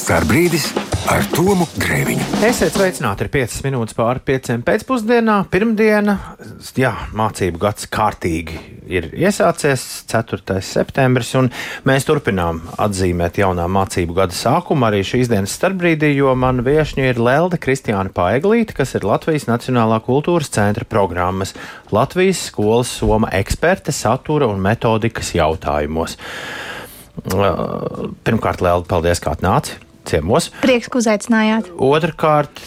Starbrīdis ar Tomu Grēviņu. Esiet sveicināti, ir 5 minūtes pāri 5 pēcpusdienā. Pirmdiena, mācību gads kārtīgi ir iesācies, 4. septembris, un mēs turpinām atzīmēt jaunā mācību gada sākumu arī šīs dienas starpbrīdī, jo man viešņa ir Lelde Kristiāna Paeglīte, kas ir Latvijas Nacionālā kultūras centra programmas Latvijas skolas soma eksperte satura un metodikas jautājumos. Pirmkārt, Lelde, paldies, kā atnāci ciemos. Prieks, ka uzaicinājāt. Otrkārt,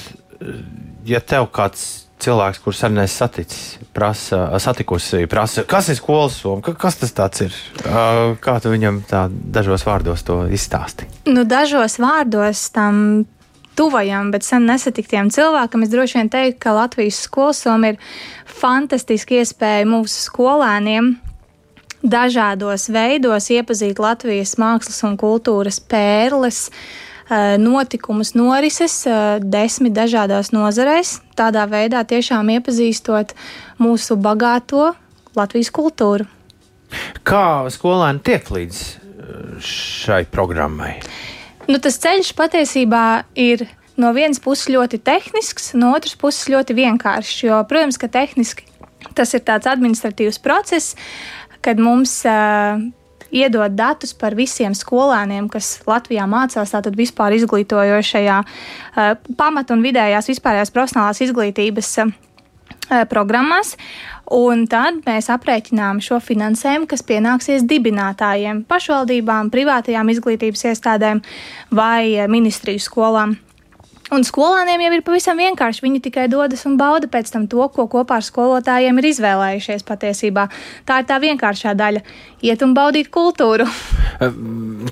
ja tev kāds cilvēks, kurš arī nesaticis, satikusi, kas ir skolas soma, kas tas tāds ir? Kā tu viņam tā dažos vārdos to izstāsti? Dažos vārdos tam tuvajam, bet sen nesatiktiem cilvēkam es droši vien teiktu, ka Latvijas skolas soma ir fantastiski iespēja mūsu skolēniem dažādos veidos iepazīt Latvijas mākslas un kultūras pērles, notikumus, norises 10 dažādās nozarēs, tādā veidā tiešām iepazīstot mūsu bagāto Latvijas kultūru. Kā skolēni tiek līdz šai programmai? Tas ceļš patiesībā ir no vienas puses ļoti tehnisks, no otras puses ļoti vienkāršs, jo, protams, ka tehniski tas ir tāds administratīvs process, kad mums iedod datus par visiem skolēniem, kas Latvijā mācās, tātad vispār izglītojošajā pamat- un vidējās vispārējās profesionālās izglītības programmās, un tad mēs aprēķinām šo finansējumu, kas pienāksies dibinātājiem, pašvaldībām, privātajām izglītības iestādēm vai ministriju skolām. Un skolāniem jau ir pavisam vienkārši. Viņi tikai dodas un bauda pēc tam to, ko kopā ar skolotājiem ir izvēlējušies patiesībā. Tā ir tā vienkāršā daļa - iet un baudīt kultūru.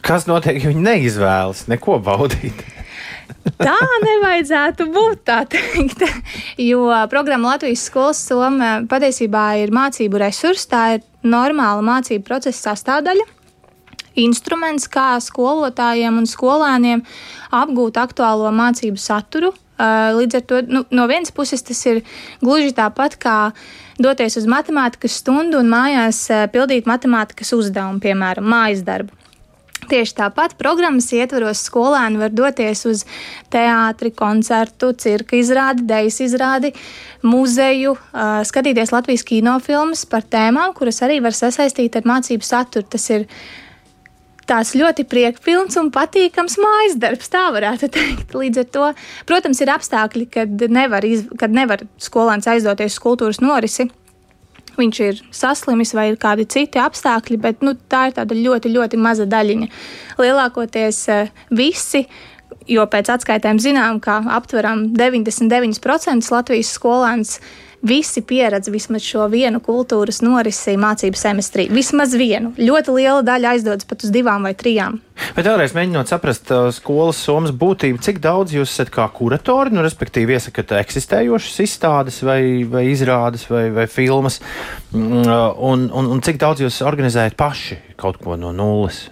Kas notiek, ja viņi neizvēlas neko baudīt? Tā nevajadzētu būt, tā teikt. Jo programma Latvijas skolas soma patiesībā ir mācību resurs, tā ir normāla mācību procesa sastāvdaļa. Instruments, kā skolotājiem un skolēniem apgūt aktuālo mācību saturu. Līdz ar to no vienas puses tas ir gluži tāpat kā doties uz matemātikas stundu un mājās pildīt matemātikas uzdevumu, piemēram, mājas darbu. Tieši tāpat programmas ietvaros skolēni var doties uz teātri, koncertu, cirka izrādi, dejas izrādi, muzeju, skatīties Latvijas kinofilmas par tēmām, kuras arī var sasaistīt ar mācību saturu. Tas ir tās ļoti priekpilns un patīkams mājas darbs, tā varētu teikt. Līdz ar to, protams, ir apstākļi, kad nevar skolēns aizdoties uz kultūras norisi. Viņš ir saslimis vai ir kādi citi apstākļi, bet tā ir tāda ļoti, ļoti maza daļiņa. Lielākoties visi, jo pēc atskaitēm zinām, ka aptveram 99% Latvijas skolēns, visi pieredz vismaz šo vienu kultūras norisi mācību semestrī. Vismaz vienu. Ļoti liela daļa aizdodas pat uz 2 vai 3. Bet vēlreiz mēģinot saprast skolas somas būtību, cik daudz jūs esat kā kuratori, respektīvi iesakat eksistējošas izstādes vai izrādes vai filmas, un cik daudz jūs organizējat paši kaut ko no nulles?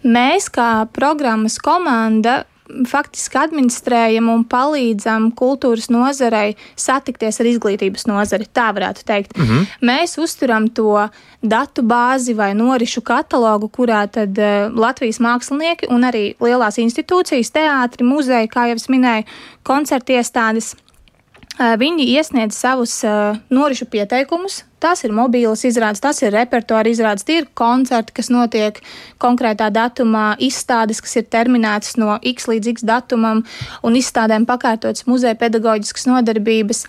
Mēs kā programmas komanda faktiski administrējam un palīdzam kultūras nozarei satikties ar izglītības nozari, tā varētu teikt. Mēs uzturam to datu bāzi vai norišu katalogu, kurā tad Latvijas mākslinieki un arī lielās institūcijas, teātri, muzeji, kā jau es minēju, koncertiestādes, viņi iesniedz savus norišu pieteikumus. Tās ir mobīlas izrādes, tas ir repertuāra izrādes, tie ir koncerti, kas notiek konkrētā datumā, izstādes, kas ir terminētas no X līdz X datumam, un izstādēm pakārtotas muzeja pedagoģiskas nodarbības.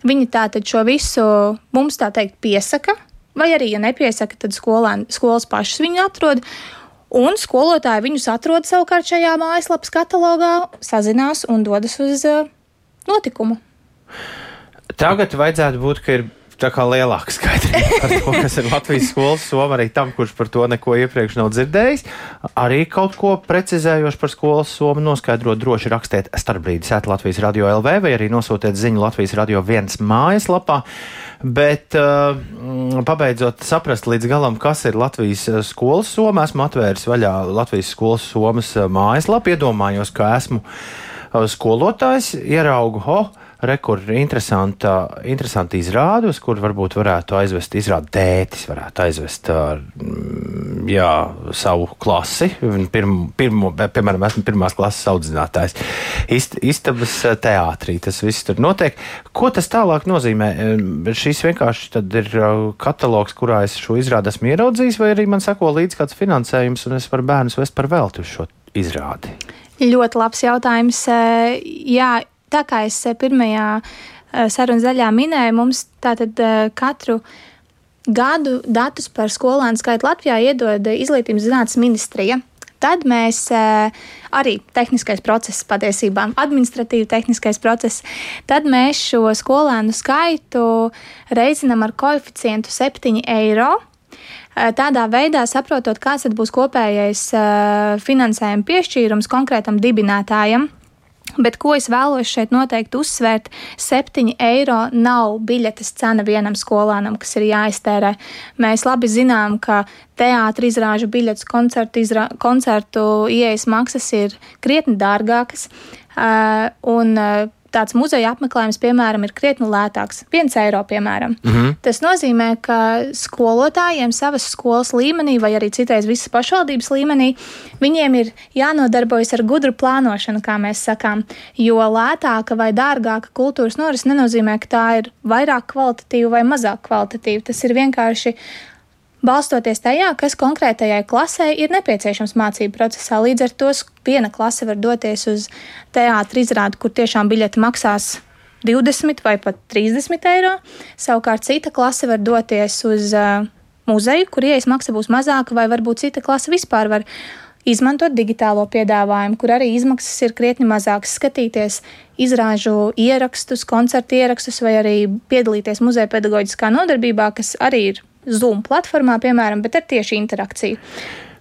Viņi tātad šo visu mums tā teikt piesaka, vai arī, ja nepiesaka, tad skolas pašas viņu atrod, un skolotāji viņus atrod savukārt šajā mājaslapas katalogā, sazinās un dodas uz notikumu. Tagad vajadzētu būt, ka ir tā kā lielāka skaidrība par to, kas ir Latvijas skolas soma, arī tam, kurš par to neko iepriekš nav dzirdējis. Arī kaut ko precizējoši par skolas somu noskaidrot, droši rakstiet starpbrīdis @Latvijas Radio LV vai arī nosūtiet ziņu Latvijas Radio 1 mājaslapā. Bet pabeidzot saprast līdz galam, kas ir Latvijas skolas soma, esmu atvēris vaļā Latvijas skolas somas mājaslapu, iedomājos, ka esmu skolotājs, ieraugu, Kur interesanti izrādi, uz kur varbūt varētu aizvest, izrādi tētis varētu aizvest savu klasi. Piemēram, esmu pirmās klases audzinātājs. Istabas teātrī tas viss tur notiek. Ko tas tālāk nozīmē? Šis vienkārši tad ir katalogs, kurā es šo izrādi esmu ieraudzījis, vai arī man sako līdz kāds finansējums, un es varu bērnus vest par velti uz šo izrādi? Ļoti labs jautājums. Jā, tā kā es pirmajā sarunas daļā minēju, mums tātad katru gadu datus par skolēnu skaitu Latvijā iedod Izglītības zinātnes ministrija. Tad mēs arī tehniskais process patiesībā, administratīvi tehniskais process, tad mēs šo skolēnu skaitu reizinām ar koeficientu 7 eiro. Tādā veidā saprotot, kāds tad būs kopējais finansējuma piešķīrums konkrētam dibinātājam. Bet ko es vēlos šeit noteikti uzsvērt, 7 eiro nav biļetes cena vienam skolēnam, kas ir jāiztērē. Mēs labi zinām, ka teātra izrāžu biļetes, koncertu ieejas maksas ir krietni dārgākas, un tāds muzeja apmeklējums, piemēram, ir krietni lētāks. 1 eiro, piemēram. Tas nozīmē, ka skolotājiem savas skolas līmenī, vai arī citreiz visas pašvaldības līmenī, viņiem ir jānodarbojas ar gudru plānošanu, kā mēs sakām. Jo lētāka vai dārgāka kultūras norise nenozīmē, ka tā ir vairāk kvalitatīva vai mazāk kvalitatīva. Tas ir vienkārši balstoties tajā, kas konkrētajai klasē ir nepieciešams mācību procesā. Līdz ar to viena klase var doties uz teātra izrādi, kur tiešām biļete maksās 20 vai pat 30 eiro. Savukārt cita klase var doties uz muzeju, kur ieejas maksa būs mazāka, vai varbūt cita klase vispār var izmantot digitālo piedāvājumu, kur arī izmaksas ir krietni mazākas, skatīties izrāžu ierakstus, koncertu ierakstus vai arī piedalīties muzeja pedagoģiskā nodarbībā, kas arī ir Zoom platformā, piemēram, bet ar tieši interakciju.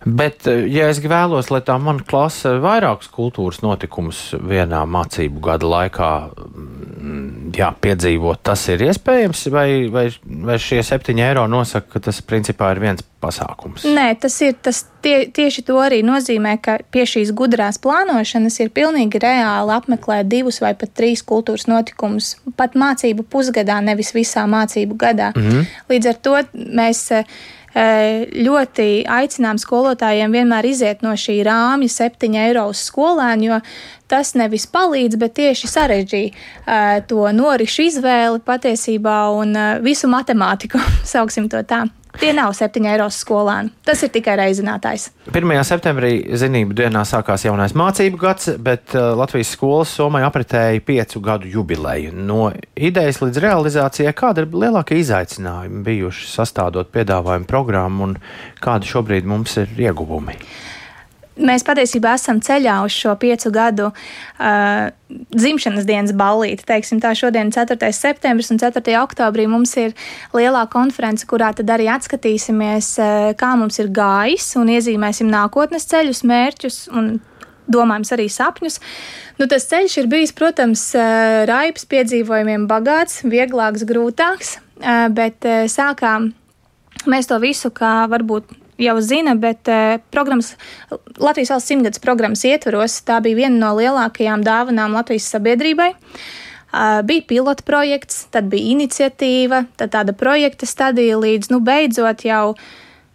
Bet, ja es vēlos, lai tā mana klase vairākus kultūras notikumus vienā mācību gada laikā piedzīvot, tas ir iespējams, vai šie 7 eiro nosaka, ka tas principā ir viens pasākums? Nē, tieši to arī nozīmē, ka pie šīs gudrās plānošanas ir pilnīgi reāli apmeklēt 2 vai pat 3 kultūras notikumus, pat mācību pusgadā, nevis visā mācību gadā. Līdz ar to mēs ļoti aicinām skolotājiem vienmēr iziet no šī rāmja 7 eiro uz skolēnu, jo tas nevis palīdz, bet tieši sarežģīja to norišu izvēli patiesībā un visu matemātiku, sauksim to tā. Tie nav 7 eiro skolēni. Tas ir tikai reizinātājs. 1. septembrī zinību dienā sākās jaunais mācību gads, bet Latvijas skolas Somai apritēja 5 gadu jubileju. No idejas līdz realizācijai, kāda ir lielākie izaicinājumi bijuši sastādot piedāvājumu programmu un kādi šobrīd mums ir ieguvumi? Mēs patiesībā esam ceļā uz šo 5 gadu dzimšanas dienas ballīti. Teiksim tā, šodien 4. septembris un 4. oktobrī mums ir lielā konference, kurā tad arī atskatīsimies, kā mums ir gājis un iezīmēsim nākotnes ceļus, mērķus un domājams arī sapņus. Tas ceļš ir bijis, protams, raibs, piedzīvojumiem bagāts, vieglāks, grūtāks, bet sākām mēs to visu, kā varbūt jau zina, bet Latvijas valsts 100-gads programmas ietvaros tā bija viena no lielākajām dāvanām Latvijas sabiedrībai. Bija pilota projekts, tad bija iniciatīva, tad tāda projekta stadija līdz, beidzot jau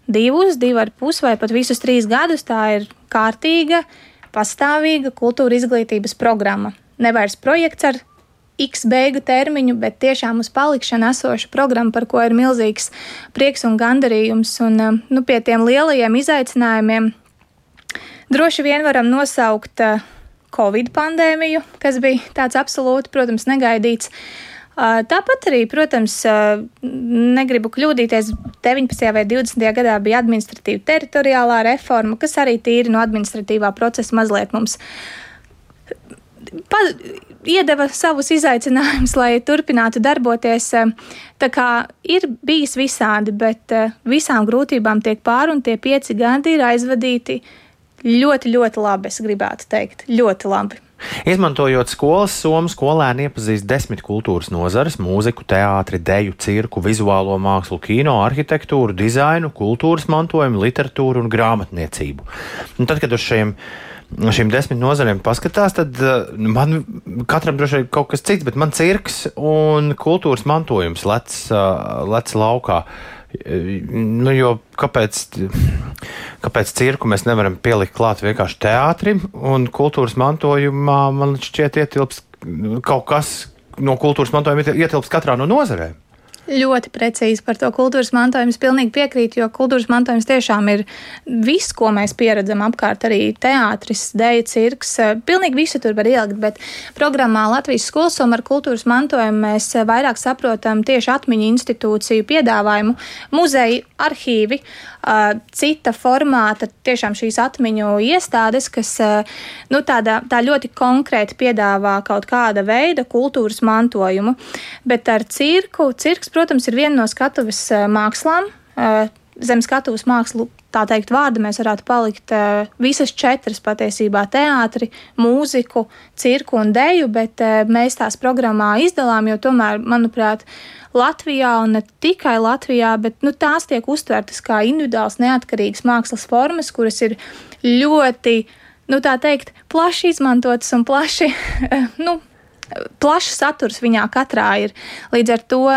2,5 vai pat visus 3 gadus tā ir kārtīga, pastāvīga kultūra izglītības programma. Nevairs projekts ar X beigu termiņu, bet tiešām uz palikšanu esoša programma, par ko ir milzīgs prieks un gandarījums. Un pie tiem lielajiem izaicinājumiem droši vien varam nosaukt Covid pandēmiju, kas bija tāds absolūti, protams, negaidīts. Tāpat arī, protams, negribu kļūdīties, 19. vai 20. gadā bija administratīva teritoriālā reforma, kas arī tīri no administratīvā procesa mazliet mums iedeva savus izaicinājumus, lai turpinātu darboties. Tā kā ir bijis visādi, bet visām grūtībām tiek pāri un tie 5 gadi ir aizvadīti ļoti, ļoti labi, es gribētu teikt. Ļoti labi. Izmantojot skolas somu, skolēni iepazīst 10 kultūras nozares – mūziku, teātri, deju, cirku, vizuālo mākslu, kino, arhitektūru, dizainu, kultūras mantojumu, literatūru un grāmatniecību. Un tad, kad uz šiem šīm 10 nozarēm paskatās, tad man katram droši vien kaut kas cits, bet man cirks un kultūras mantojums lec laukā. Nu, jo kāpēc cirku mēs nevaram pielikt klāt vienkārši teātrim, un kultūras mantojumā man šķiet ietilps kaut kas no kultūras mantojuma ietilps katrā no nozarēm. Ļoti precīzi par to kultūras mantojumu. Es pilnīgi piekrītu, jo kultūras mantojums tiešām ir viss, ko mēs pieredzam apkārt, arī teātris, deja, cirks. Pilnīgi visu tur var ielikt, bet programmā Latvijas Skolsoma ar kultūras mantojumu mēs vairāk saprotam tieši atmiņu institūciju piedāvājumu, muzeju, arhīvi, cita formāta, tiešām šīs atmiņu iestādes, kas tā ļoti konkrēti piedāvā kaut kāda veida kultūras mantojumu. Bet ar cirks, protams, ir viena no skatuves mākslām. Zem skatuves mākslu, tā teikt, vārda mēs varētu palikt visas 4 patiesībā - teātri, mūziku, cirku un deju, bet mēs tās programmā izdalām, jo tomēr, manuprāt, Latvijā un ne tikai Latvijā, bet tās tiek uztvertas kā individuāls neatkarīgas mākslas formas, kuras ir ļoti, tā teikt, plaši izmantotas un plašs saturs viņā katrā ir. Līdz ar to,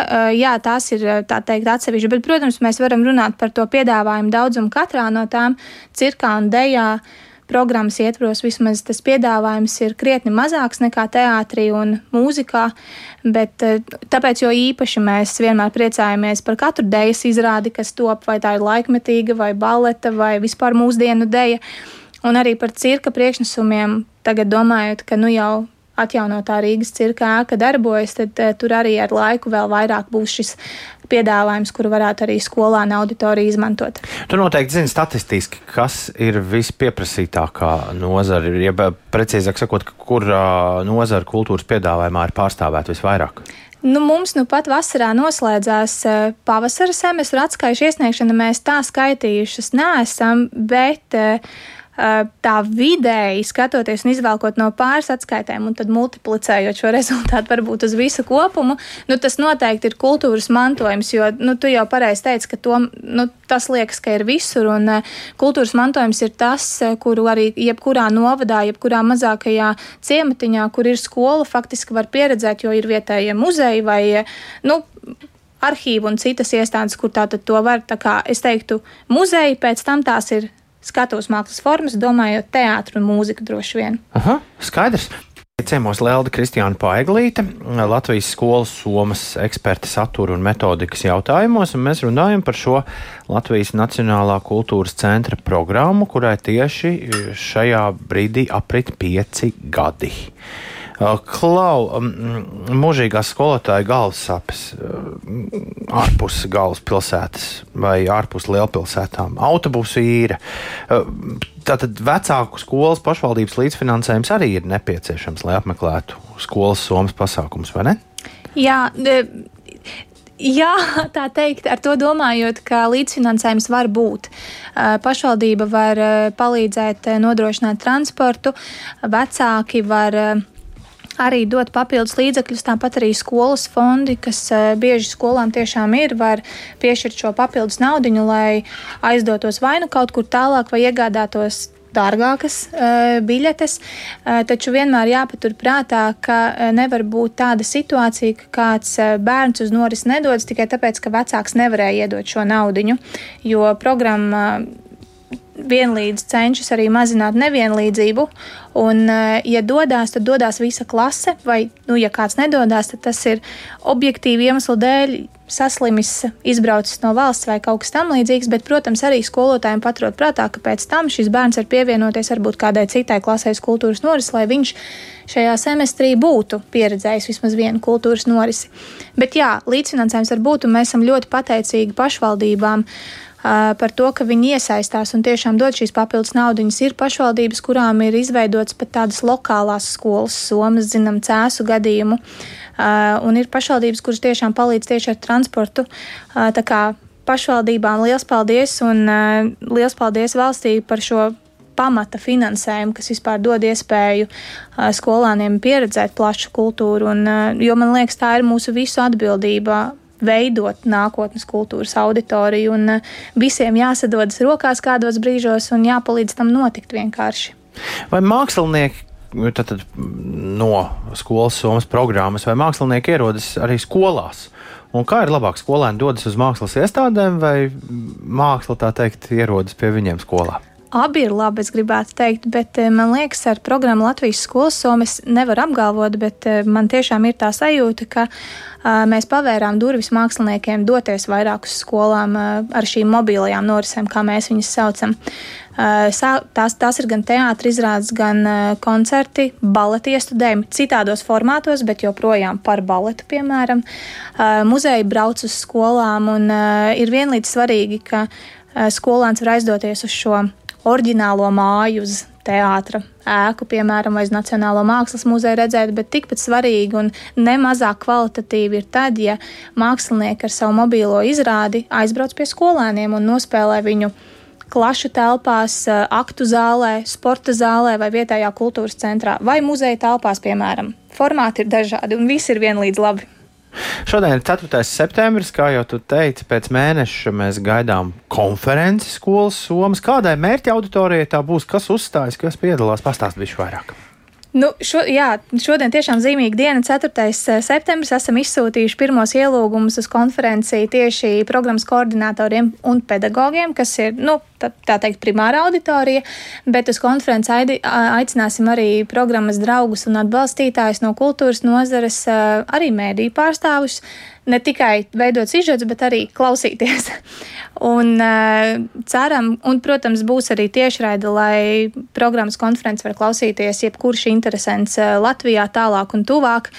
tās ir, tā teikt, atsevišķi, bet, protams, mēs varam runāt par to piedāvājumu daudzumu katrā no tām. Cirkā un dejā programmas ietvaros vismaz tas piedāvājums ir krietni mazāks nekā teātrī un mūzikā, bet tāpēc jo īpaši mēs vienmēr priecājamies par katru dejas izrādi, kas top, vai tā ir laikmetīga, vai baleta, vai vispār mūsdienu deja. Un arī par cirka priekšnesumiem tagad domājot, ka jau atjaunotā Rīgas cirka ēka darbojas, tad tur arī ar laiku vēl vairāk būs šis piedāvājums, kuru varētu arī skolāna auditorija izmantot. Tu noteikti zini statistiski, kas ir vispieprasītākā nozara, ja precīzāk sakot, kur nozara kultūras piedāvājumā ir pārstāvēta visvairāk? Mums pat vasarā noslēdzās pavasara semestra atskaišu iesniegšana. Mēs tā skaitījušas neesam, bet tā vidēji skatoties un izvēlkot no pāris atskaitēm un tad multiplicējot šo rezultātu varbūt uz visu kopumu, tas noteikti ir kultūras mantojums, jo tu jau pareizi teici, ka tas liekas, ka ir visur, un kultūras mantojums ir tas, kuru arī jebkurā novadā, jebkurā mazākajā ciematiņā, kur ir skola, faktiski var pieredzēt, jo ir vietējie muzeji vai, arhīvi un citas iestādes, kur tātad to var, tā kā es teiktu, muzeji, pēc tam tās ir skatuves mākslas formas, domājot teātru un mūziku droši vien. Aha, skaidrs. Ciemos Lelde Kristiāna Paiglīte, Latvijas skolas somas eksperte satura un metodikas jautājumos, un mēs runājam par šo Latvijas Nacionālā kultūras centra programmu, kurai tieši šajā brīdī aprit 5 gadi. Klau, mūžīgās skolotāja galvassapes ārpus galvaspilsētas vai ārpus lielpilsētām, autobusu īre. Tātad vecāku skolas pašvaldības līdzfinansējums arī ir nepieciešams, lai apmeklētu skolas somas pasākums, vai ne? Jā, tā teikt, ar to domājot, ka līdzfinansējums var būt. Pašvaldība var palīdzēt nodrošināt transportu, vecāki var arī dot papildus līdzekļus, tāpat arī skolas fondi, kas bieži skolām tiešām var piešķirt šo papildus naudiņu, lai aizdotos vai kaut kur tālāk vai iegādātos dārgākas biļetes, taču vienmēr jāpatur prātā, ka nevar būt tāda situācija, ka kāds bērns uz norisi nedodas tikai tāpēc, ka vecāks nevarēja iedot šo naudiņu, jo programma vienlīdz cenšas arī mazināt nevienlīdzību, un, ja dodās, tad dodās visa klase, vai, ja kāds nedodās, tad tas ir objektīvi iemeslu dēļ saslimis, izbraucis no valsts vai kaut kas tam līdzīgs, bet, protams, arī skolotājiem paturot prātā, ka pēc tam šis bērns var pievienoties varbūt kādai citai klasē kultūras norisi, lai viņš šajā semestrī būtu pieredzējis vismaz vienu kultūras norisi. Bet jā, līdzfinansējums var būt, un mēs esam ļoti pateicīgi pašvaldībām par to, ka viņi iesaistās un tiešām dod šīs papildus naudiņas. Ir pašvaldības, kurām ir izveidotas pat tādas lokālās skolas somas, zinām, Cēsu gadījumu, un ir pašvaldības, kuras tiešām palīdz tieši ar transportu. Tā kā pašvaldībām liels paldies, un liels paldies valstī par šo pamata finansējumu, kas vispār dod iespēju skolāniem pieredzēt plašu kultūru, un, jo man liekas, tā ir mūsu visu atbildība veidot nākotnes kultūras auditoriju, un visiem jāsadodas rokās kādos brīžos un jāpalīdz tam notikt vienkārši. Vai mākslinieki tad no skolas Somas programmas, vai mākslinieki ierodas arī skolās? Un kā ir labāk, skolēni dodas uz mākslas iestādēm vai māksla, tā teikt, ierodas pie viņiem skolā? Abi ir labi, es gribētu teikt, bet man liekas, ar programmu Latvijas skolas Soma es nevaru apgalvot, bet man tiešām ir tā sajūta, ka mēs pavērām durvis māksliniekiem doties vairāk uz skolām ar šīm mobilajām norisēm, kā mēs viņas saucam. Tās ir gan teātris izrādes, gan koncerti, baleti iestudējumi citādos formātos, bet joprojām par baletu, piemēram. Muzeji brauc uz skolām un ir vienlīdz svarīgi, ka skolāns var aizdoties uz šo oriģinālo māju, uz teātra ēku, piemēram, vai uz Nacionālo mākslas muzeju redzēt, bet tikpat svarīgi un nemazāk kvalitatīvi ir tad, ja mākslinieki ar savu mobīlo izrādi aizbrauc pie skolēniem un nospēlē viņu klašu telpās, aktu zālē, sporta zālē vai vietējā kultūras centrā vai muzeja telpās, piemēram. Formāti ir dažādi un visi ir vienlīdz labi. Šodien ir 4. septembris, kā jau tu teici, pēc mēneša mēs gaidām konferenci skolas Somas. Kādai mērķa auditorijai tā būs, kas uzstājas, kas piedalās? Pastāst bišķi vairāk. Šodien tiešām zīmīga diena, 4. septembris. Esam izsūtījuši pirmos ielūgumus uz konferenciju tieši programmas koordinatoriem un pedagogiem, kas ir, tā teikt, primāra auditorija, bet uz konferenci aicināsim arī programmas draugus un atbalstītājus no kultūras nozares, arī mēdīju pārstāvus, ne tikai veidot sižets, bet arī klausīties. Un ceram, un, protams, būs arī tiešraide, lai programmas konferences var klausīties jebkurš interesants Latvijā tālāk un tuvāk.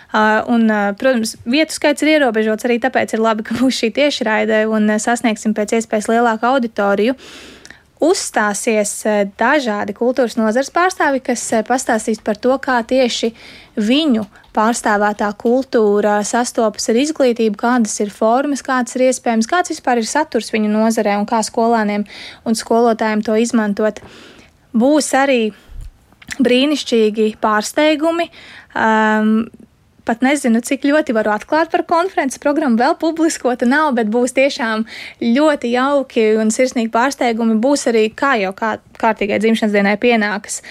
Protams, vietu skaits ir ierobežots, arī tāpēc ir labi, ka būs šī tiešraide un sasniegsim pēc iespējas lielāku auditoriju. Uzstāsies dažādi kultūras nozares pārstāvi, kas pastāstīs par to, kā tieši viņu pārstāvētā kultūra sastopas ar izglītību, kādas ir formas, kādas ir iespējams, kāds vispār ir saturs viņu nozarē un kā skolāniem un skolotājiem to izmantot. Būs arī brīnišķīgi pārsteigumi. Pat nezinu, cik ļoti varu atklāt par konferences programmu, vēl publiskota nav, bet būs tiešām ļoti jauki un sirsnīgi pārsteigumi. Būs arī, kā jau kārtīgai dzimšanas dienai pienākas,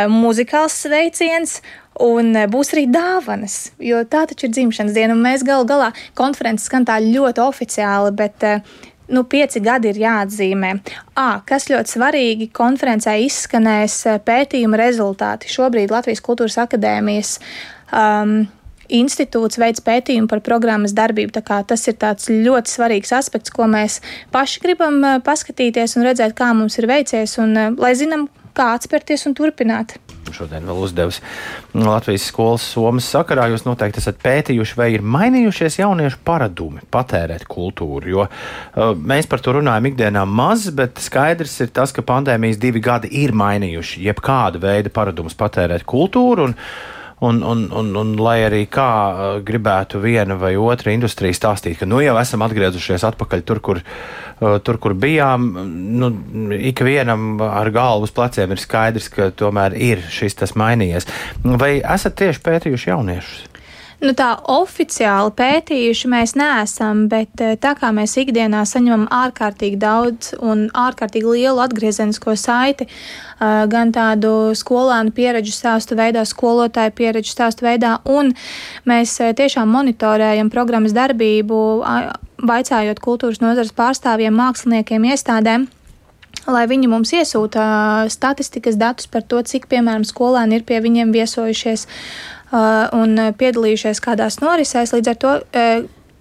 muzikāls sveiciens un būs arī dāvanas, jo tā taču ir dzimšanas diena un mēs galā konferences skan tā ļoti oficiāli, bet 5 gadi ir jāatzīmē. Kas ļoti svarīgi, konferencē izskanēs pētījuma rezultāti. Šobrīd Latvijas Kultūras akadēmijas institūts veids pētījumu par programmas darbību, tā kā tas ir tāds ļoti svarīgs aspekts, ko mēs paši gribam paskatīties un redzēt, kā mums ir veicies un lai zinām, kā atspērties un turpināt. Šodien vēl uzdevis Latvijas skolas Somas sakarā. Jūs noteikti esat pētījuši, vai ir mainījušies jauniešu paradumi patērēt kultūru, jo mēs par to runājam ikdienā maz, bet skaidrs ir tas, ka pandēmijas 2 gadi ir mainījuši jebkāda veida paradumus patērēt kultūru un lai arī kā gribētu viena vai otra industrija stāstīt, ka jau esam atgriezušies atpakaļ tur, kur bijām, ikvienam ar galvu uz pleciem ir skaidrs, ka tomēr ir šis tas mainījies. Vai esat tieši pētījuši jauniešus? Tā oficiāli pētījuši mēs neesam, bet tā kā mēs ikdienā saņemam ārkārtīgi daudz un ārkārtīgi lielu atgriezenisko saiti, gan tādu skolānu pieredžu stāstu veidā, skolotāju pieredžu stāstu veidā, un mēs tiešām monitorējam programmas darbību, vaicājot kultūras nozares pārstāvjiem, māksliniekiem, iestādēm, lai viņi mums iesūta statistikas datus par to, cik, piemēram, skolēni ir pie viņiem viesojušies un piedalījušies kādās norisēs. Līdz ar to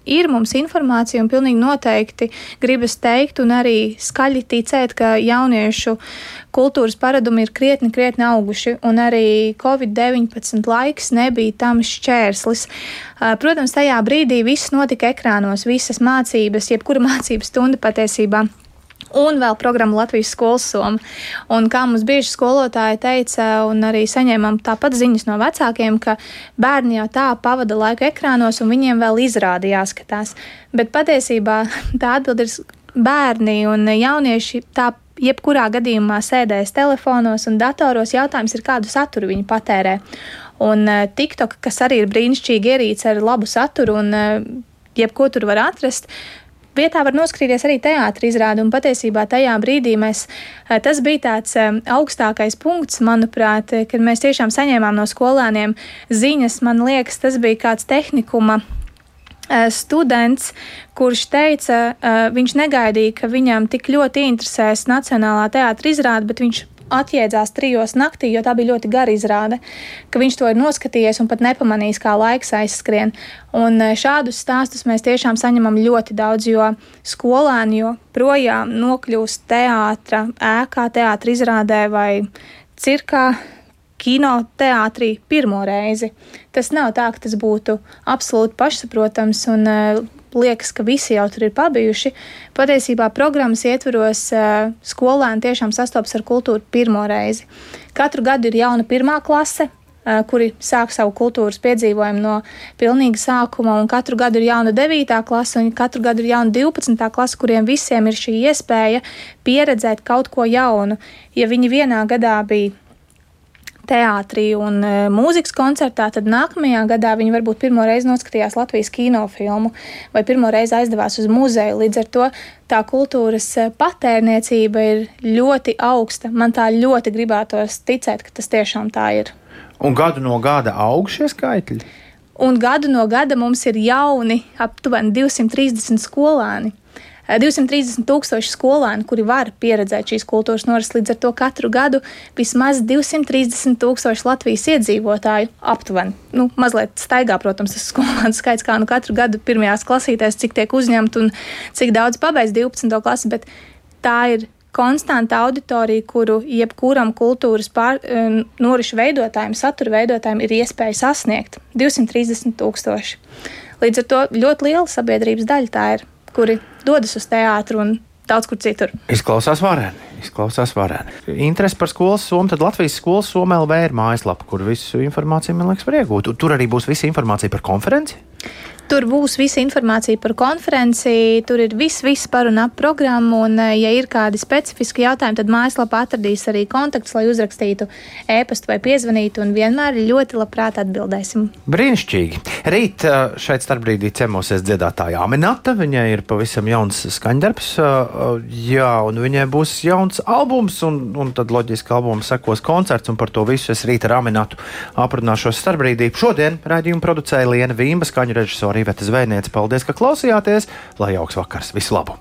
ir mums informācija un pilnīgi noteikti gribas teikt un arī skaļi ticēt, ka jauniešu kultūras paradumi ir krietni auguši un arī Covid-19 laiks nebija tam šķērslis. Protams, tajā brīdī viss notika ekrānos, visas mācības, jebkura mācības stunda patiesībā. Un vēl programma Latvijas skolas Soma. Un kā mums bieži skolotāji teica, un arī saņēmām tāpat ziņas no vecākiem, ka bērni jau tā pavada laiku ekrānos un viņiem vēl izrādi jāskatās. Bet patiesībā tā atbilde ir bērni un jaunieši tā jebkurā gadījumā sēdēs telefonos un datoros. Jautājums ir, kādu saturu viņi patērē. Un TikTok, kas arī ir brīnišķīgi ierīce ar labu saturu un jebko tur var atrast, vietā var noskatīties arī teātra izrādi, un patiesībā tajā brīdī tas bija tāds augstākais punkts, manuprāt, kad mēs tiešām saņēmām no skolēniem ziņas. Man liekas, tas bija kāds tehnikuma students, kurš teica, viņš negaidīja, ka viņam tik ļoti interesēs Nacionālā teātra izrāde, bet viņš atjēdzās 3 naktī, jo tā bija ļoti gara izrāde, ka viņš to ir noskatījies un pat nepamanījis, kā laiks aizskrien. Un šādus stāstus mēs tiešām saņemam ļoti daudz, jo skolēni joprojām nokļūst teātra ēkā, teātra izrādē vai cirkā, kino teātrī pirmo reizi. Tas nav tā, ka tas būtu absolūti pašsaprotams un liekas, ka visi jau tur ir pabijuši. Patiesībā programmas ietvaros skolēni tiešām sastopas ar kultūru pirmo reizi. Katru gadu ir jauna 1. klase, kuri sāk savu kultūras piedzīvojumu no pilnīga sākuma, un katru gadu ir jauna 9. klase, un katru gadu ir jauna 12. klase, kuriem visiem ir šī iespēja pieredzēt kaut ko jaunu. Ja viņi vienā gadā bija teātrī un mūzikas koncertā, tad nākamajā gadā viņi varbūt pirmo reizi noskatījās Latvijas kinofilmu vai pirmo reizi aizdevās uz muzeju. Līdz ar to tā kultūras patērniecība ir ļoti augsta. Man tā ļoti gribētos ticēt, ka tas tiešām tā ir. Un gadu no gada aug šie skaitļi? Un gadu no gada mums ir jauni aptuveni 230 skolēni. 230,000 skolēni, kuri var pieredzēt šīs kultūras norises, līdz ar to katru gadu vismaz 230,000 Latvijas iedzīvotāju aptuveni. Mazliet staigā, protams, tas skolēnu skaits, kā katru gadu pirmajās klasītēs, cik tiek uzņemt un cik daudz pabeidz 12. klasi, bet tā ir konstanta auditorija, kuru jebkuram kultūras norišu veidotājiem, satura veidotājiem ir iespēja sasniegt 230,000. Līdz ar to ļoti liela sabiedrības daļa tā ir, kuri dodas uz teātru un daudz kur citur. Izklausās vareni. Interesi par skolas somu, tad Latvijas skolas Soma LV ir mājaslapa, kur visu informāciju, man liekas, var iegūt. Tur arī būs visa informācija par konferenci? Tur būs visa informācija par konferenci, tur ir viss par un ap programmu, un ja ir kādi specifiski jautājumi, tad mājaslapā atradīs arī kontaktus, lai uzrakstītu e-pastu vai piezvanītu, un vienmēr ļoti labprāt atbildēsim. Brīnišķīgi. Rīt šeit starpbrīdī ciemosies dziedātāja Aminata, viņai ir pavisam jauns skaņdarbs, un viņai būs jauns albums, un tad loģiski albums sekos koncerts, un par to visu es rīt ar Aminatu aprunāšos starpbrīdī. Šodien raidījumu producēja Liena Vīmba, skaņu režisori Iveta Zvejniece. Paldies, ka klausījāties, lai jauks vakars. Visu labu!